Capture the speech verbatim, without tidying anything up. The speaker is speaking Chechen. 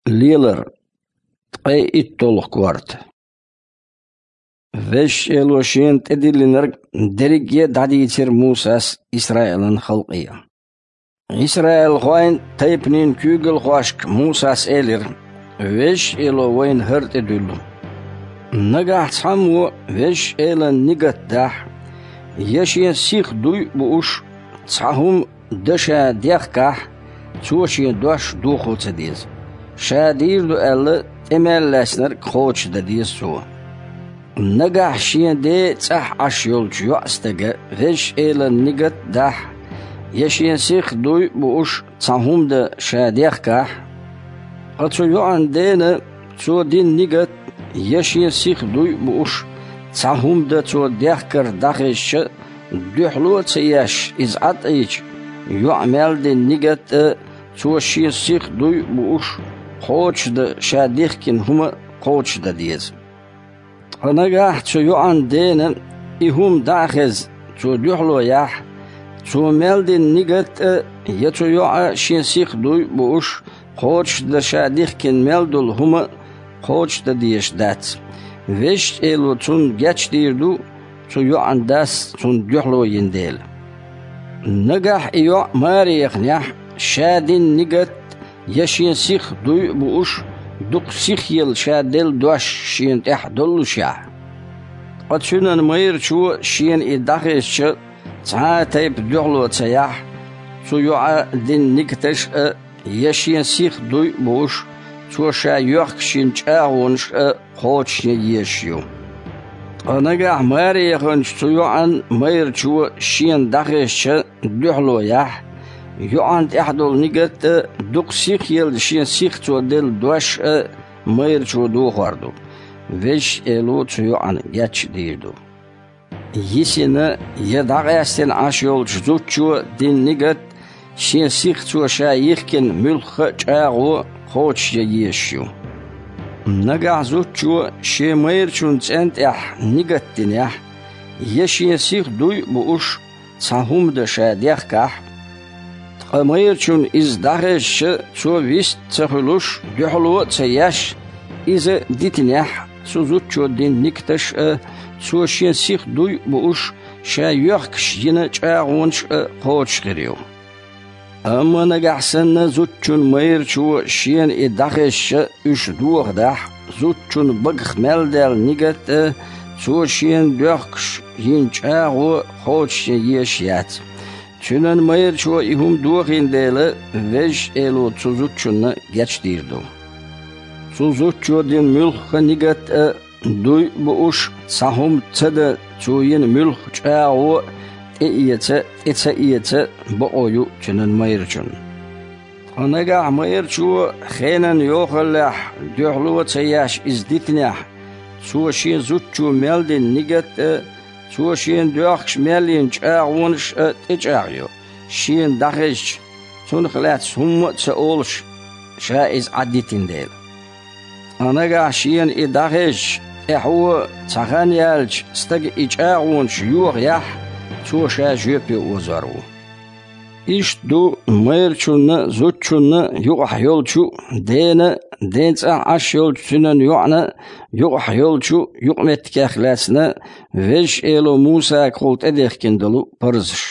Лелар. Ткъе итталгӀа корта. Везачу Эло Шена тӀедиллинарг дерриге а дӀадийцира Мусас Исраилан халкъе. Исраилхойн тайпанийн куьйгалхошка Мусас элира: «Везачу Эло вайна хӀара тӀедуьллу: нагахь цхьаммо Везачу Элан нигат дахь, я шен сиха дуй а бууш, цхьа хӀума дан ша дехкахь, цо шен дош дохо ца деза. Ша дийр ду аьлла, тӀе мел лаьцнарг кхочушдан деза цо. Нагахь шен ден цӀахь Ӏаш йолчу йоӀстага Везачу Элан нигат дахь, я шен сиха дуй а бууш, цхьа хӀума дан ша дехкахь, ткъа цу йоӀан дена цо дина нигат, я шен сиха дуй а бууш, цхьа хӀума дан цо дехкар дӀахезча, дуьхьало а ца еш, иза Ӏадийча, йоӀа мел дина нигат а, цо шен сиха дуй а бууш, кхочушдан ша дихкина хӀума а кхочушдан деза. Ткъа нагахь цу йоӀан дена и хӀума дӀа а хезна, цо дуьхьало яхь, цо мел дина нигат а, я цу йоӀа шен сиха дуй а бууш, кхочушдан ша дихкина мел долу хӀума а кхочушдан дезаш дац. Везачу Эло цунна гечдийр ду, цу йоӀан дас цунна дуьхьало йина дела. Нагахь и йоӀ маре яханехь, ша дина нигат а, я шен сиха дуй а бууш, дукха сихъелла ша делла дош шена тӀехь доллушехь. Ткъа цуьнан майрачо шена и дӀахезча, цхьа а тайпа дуьхьало ца яхь, цу йоӀа дина нигаташ а, я шен сиха дуй а бууш, цо ша йоьхкуш йина чӀагӀонаш а кхочушъян езаш ю. Ткъа нагахь маре яханчу цу йоӀан майрачо шена дӀахезча дуьхьало яхь, йоӀан тӀехь долу нигат а, дукха сихъелла шен сиха цо делла дош а майрачо дохор ду. Везачу Эло цу йоӀана гечдийр ду. Йисина я дӀакъаьстина Ӏаш йолчу зудчо дина нигат а, шен сиха цо ша йихкина муьлхха а чӀагӀо а кхочушъян езаш ю. Нагахь зудчо шен майрачун цӀен тӀехь нигат динехь, я шен сиха дуй а бууш, цхьа хӀума дан ша дехкахь, ткъа майрачунна иза дӀахезча, цо вист а ца хуьлуш, дуьхьало а ца еш, иза дитинехь, цу зудчо дина нигаташ а, цо шен сиха дуй а бууш, ша йоьхкуш йина чӀагӀонаш а кхочуш хир ю. Амма нагахь санна зудчун майрачо шена и дӀахезча, уьш дохадахь, зудчун багах мел даьлла нигат а, цо шена доьхкуш йина чӀагӀо а кхочушъян езаш яц. Цуьнан майрачо и хӀума дохийна дела, Везачу Эло цу зудчунна гечдийр ду. Цу зудчо дина муьлхха нигат а, дуй а бууш, цхьа хӀума ца дан цо йина муьлхха чӀагӀо а тӀеэца а, тӀе ца эца а бакъо ю цуьнан майрачунна. Ткъа нагахь майрачо хенан йохаллехь дуьхьало а ца еш иза дитинехь, цо шен зудчо мел дина нигат а, цо шена доьхкуш мел йина чӀагӀонаш а тӀечӀагӀйо, шена дӀахезча, цунах лаьцна хӀумма а ца олуш, ша иза Ӏадитина дела. Ткъа нагахь шена и дӀахезча, тӀаьхьо цхьа хан яьлча стага и чӀагӀонаш йохаяхь, цо ша жоьпе озор ву. Иштта ду майрачунна а, зудчунна а юкъахь йолчу а, дена а, ден цӀахь Ӏаш йолчу цуьнан йоӀана а юкъахь йолчу а юкъаметтигех лаьцна Везачу Эло Мусагахула тӀедехкина долу парзаш.